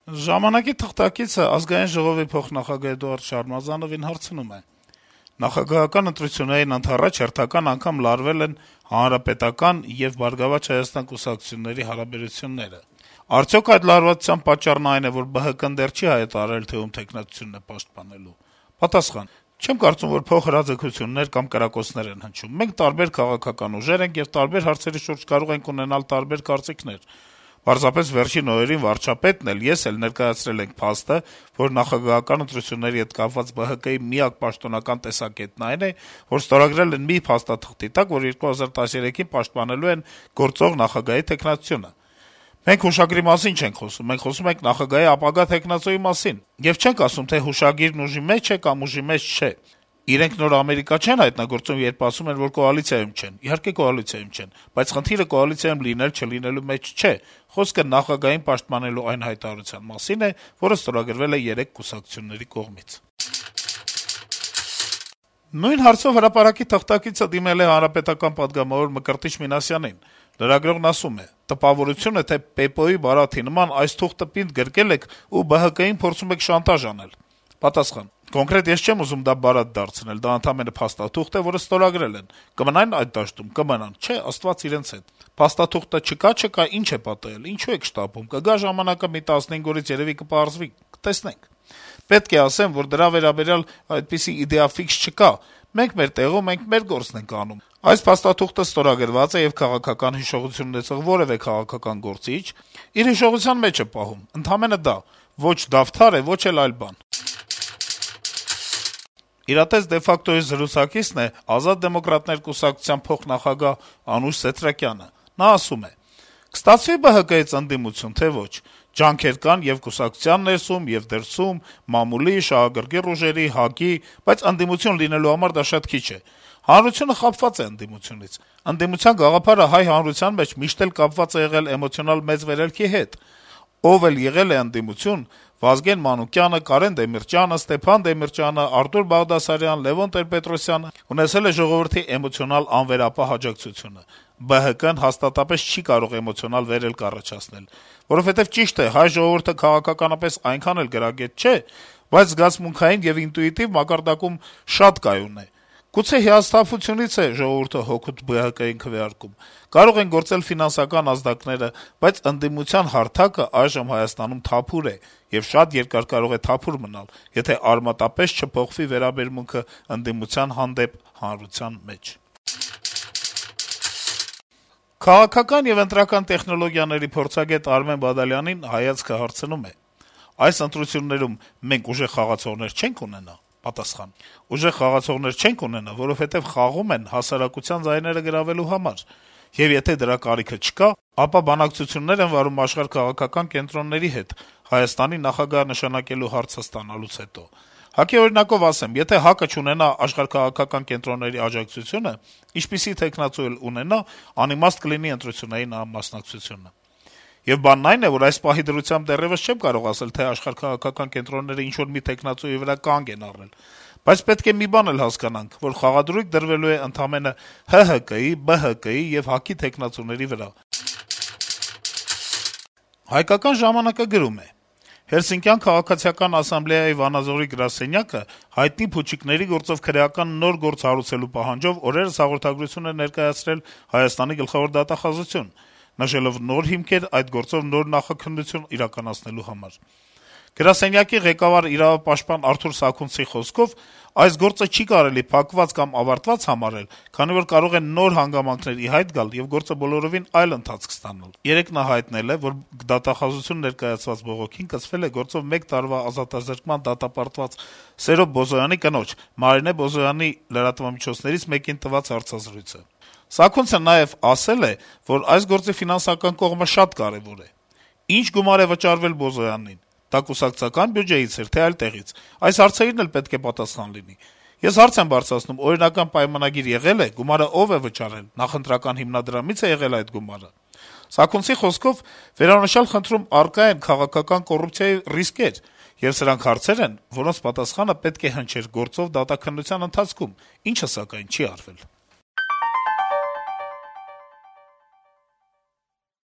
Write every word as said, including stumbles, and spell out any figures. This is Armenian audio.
Ժամանակի թղթակիցը Ազգային ժողովի փոխնախագահ Էդուարդ Շարմազանովին հարցնում է. - Նախագահական ընտրություններին ընդառաջ հերթական անգամ լարվել են Հանրապետական եւ Բարգավաճ Հայաստան կուսակցությունների հարաբերությունները: Արդյոք այդ լարվածության պատճառն այն է, որ ԲՀԿ-ն դեռ չի հայտարարել, թե ում թեկնածությունն է պաշտպանելու: Պատասխան. - Չեմ կարծում, որ փոխհրաձգություններ կամ կրակոցներ են հնչում: Մենք տարբեր քաղաքական ուժեր ենք եւ տարբեր հարցերի շուրջ կարող ենք ունենալ տարբեր կարծիքներ: Պարզապես վերջին օրերին վարչապետն էլ, ես էլ ներկայացրել ենք փաստը, որ նախագահական ընտրությունների հետ կապված ԲՀԿ-ի միակ պաշտոնական տեսակետն այն է, որ ստորագրել են մի փաստաթղթի տակ, որ երկու հազար տասներեքին պաշտպանելու են գործող նախագահի թեկնածությունը: Մենք հուշագրի մասին չենք խոսում, մենք խոսում ենք նախագահի ապագա թեկնածուի մասին: Եվ չենք ասում, թե հուշագիրն ուժի մեջ է կամ ուժի մեջ չէ: Իրենք նոր Ամերիկա չեն հայտնագործում, երբ ասում են, որ կոալիցիայում չեն: Իհարկե կոալիցիայում չեն, բայց խնդիրը կոալիցիայում լինել-չլինելու մեջ չէ: Խոսքը նախագահին պաշտպանելու այն հայտարարության մասին է, որը ստորագրվել է երեք կուսակցությունների կողմից»: Նույն հարցով «Հրապարակ»-ի թղթակիցը դիմել է Հանրապետական պատգամավոր Մկրտիչ Մինասյանին: Լրագրողն ասում է. - «Տպավորություն է, թե Պեպոյի բարաթի նման այս թուղթը պինդ գրկել եք ու ԲՀԿ-ին փորձում եք շանտաժ անել»: Պատասխան. - «Կոնկրետ ես չեմ ուզում դա բարաթ դարձնել, դա ընդամենը փաստաթուղթ է, որը ստորագրել են: Կմնա՞ն այդ դաշտում, կմնան, չէ՝ Աստված իրենց հետ: Փաստաթուղթը չկա-չկա, ի՞նչ է պատահել, ինչու եք շտապում, կգա ժամանակը, մի տասնհինգ օրից երեւի կպարզվի, կտեսնենք: Պետք է ասեմ, որ դրա վերաբերյալ այդպիսի իդեա ֆիքս չկա: Մենք մեր տեղում, մենք մեր գործն ենք անում: Այս փաստաթուղթը ստորագրված է եւ քաղաքական հիշողություն ունեցող որեւէ քաղաքական գործիչ իր հիշողության մեջ է պահում: Ընդամենը դա: Ոչ Դավթար է, ոչ էլ այլ բան»: «Իրատես de facto»-ի զրուցակիցն է Ազատ դեմոկրատներ կուսակցության փոխնախագահ Անուշ Սեթրակյանը: Նա ասում է. - «Կստացվի՞ ԲՀԿ-ից ընդդիմություն, թե ոչ: Ջանքեր կան ե'ւ կուսակցության ներսում, ե'ւ դրսում, մամուլի, շահագրգիռ ուժերի, ՀԱԿ-ի, բայց ընդդիմություն լինելու համար դա շատ քիչ է: Հանրությունը խաբված է ընդդիմությունից: Ընդդիմության գաղափարը հայ հանրության մեջ միշտ էլ կապված է եղել էմոցիոնալ մեծ վերելքի հետ: Ով էլ եղել է ընդդիմություն՝ Վազգեն Մանուկյանը, Կարեն Դեմիրճյանը, Ստեփան Դեմիրճյանը, Արտուր Բաղդասարյանը, Լեւոն Տեր-Պետրոսյանը, ունեցել է ժողովրդի էմոցիոնալ անվերապահ աջակցությունը: ԲՀԿ-ն հաստատապես չի կարող էմոցիոնալ վերելք առաջացնել, որովհետեւ ճիշտ է, հայ ժողովուրդը քաղաքականապես այնքան էլ գրագետ չէ, բայց զգացմունքային եւ ինտուիտիվ մակարդակում շատ կայուն է: Գուցե հիասթափությունից է ժողովուրդը հօգուտ ԲՀԿ-ին քվեարկում: Կարող են գործել ֆինանսական ազդակները, բայց ընդդիմության հարթակը այժմ Հայաստանում թափուր է եւ շատ երկար կարող է թափուր մնալ, եթե արմատապես չփոխվի վերաբերմունքը ընդդիմության հանդեպ հանրության մեջ»: Քաղաքական եւ ընտրական տեխնոլոգիաների փորձագետ Արմեն Բադալյանին «Հայացքը» հարցնում է. - «Այս ընտրություններում մենք ուժեղ խաղացողներ չե՞նք ունենա»: Պատասխան. - «Ուժեղ խաղացողներ չենք ունենա, որովհետեւ խաղում են հասարակության ձայները գրավելու համար: Եվ եթե դրա կարիքը չկա, ապա բանակցություններ են վարում աշխարհաքաղաքական կենտրոնների հետ Հայաստանի նախագահ նշանակելու հարցը ստանալուց հետո: ՀԱԿ-ի օրինակով ասեմ, եթե ՀԱԿ-ը չունենա աշխարհաքաղաքական կենտրոնների աջակցությունը, ինչպիսի թեկնածու էլ ունենա, անիմաստ կլինի ընտրություններին նրա մասնակցությունը: Եվ բանն այն է, որ այս պահի դրությամբ դեռեւս չեմ կարող ասել, թե աշխարհաքաղաքական կենտրոնները ինչ-որ մի թեկնածուի վրա կանգ են առել: Բայց պետք է մի բան էլ հասկանանք, որ խաղադրույք դրվելու է ընդամենը ՀՀԿ-ի, ԲՀԿ-ի եւ ՀԱԿ-ի թեկնածուների վրա»: «Հայկական ժամանակ»-ը գրում է. - «Հելսինկյան քաղաքացիական ասամբլեայի Վանաձորի գրասենյակը հայտնի փուչիկների գործով քրեական նոր գործ հարուցելու պահանջով օրերս հաղորդագրություն է ներկայացրել Հայաստանի գլխավոր դատախազություն` նշելով նոր հիմքեր այդ գործով նոր նախաքննություն իրականացնելու համար: Գրասենյակի ղեկավար իրավապաշտպան Արթուր Սաքունցի խոսքով, այս գործը չի կարելի փակված կամ ավարտված համարել, քանի որ կարող են նոր հանգամանքներ ի հայտ գալ, եւ գործը բոլորովին այլ ընթացք ստանալ: Երեկ նա հայտնել է, որ դատախազություն ներկայացված բողոքին կցվել է գործով մեկ տարվա ազատազրկման դատապարտված Սերո Բոզոյանի կնոջ` Մարինե Բոզոյանի լրատվամիջոցներից մեկին տված հարցազրույցը: Սաքունցը նաեւ ասել է, որ այս գործի ֆինանսական կողմը շատ կարեւոր է: Ինչ գումար է վճարվել Բոզոյանին: Դա կուսակցական բյուջեից էր, թե այլ տեղից: Այս հարցերին էլ պետք է պատասխան լինի: Ես հարց եմ բարձրացնում` օրինական պայմանագիր եղե՞լ է, գումարը ով է վճարել, նախընտրական հիմնադրամի՞ց է եղել այդ գումարը: Սաքունցի խոսքով, վերոնշյալ խնդրում առկա են քաղաքական կոռուպցիայի ռիսկեր, եւ սրանք հարցեր են, որոնց պատասխանը պետք է հնչեր գործով դատաքննության ընթացքում, ինչը, սակայն, չի արվել»: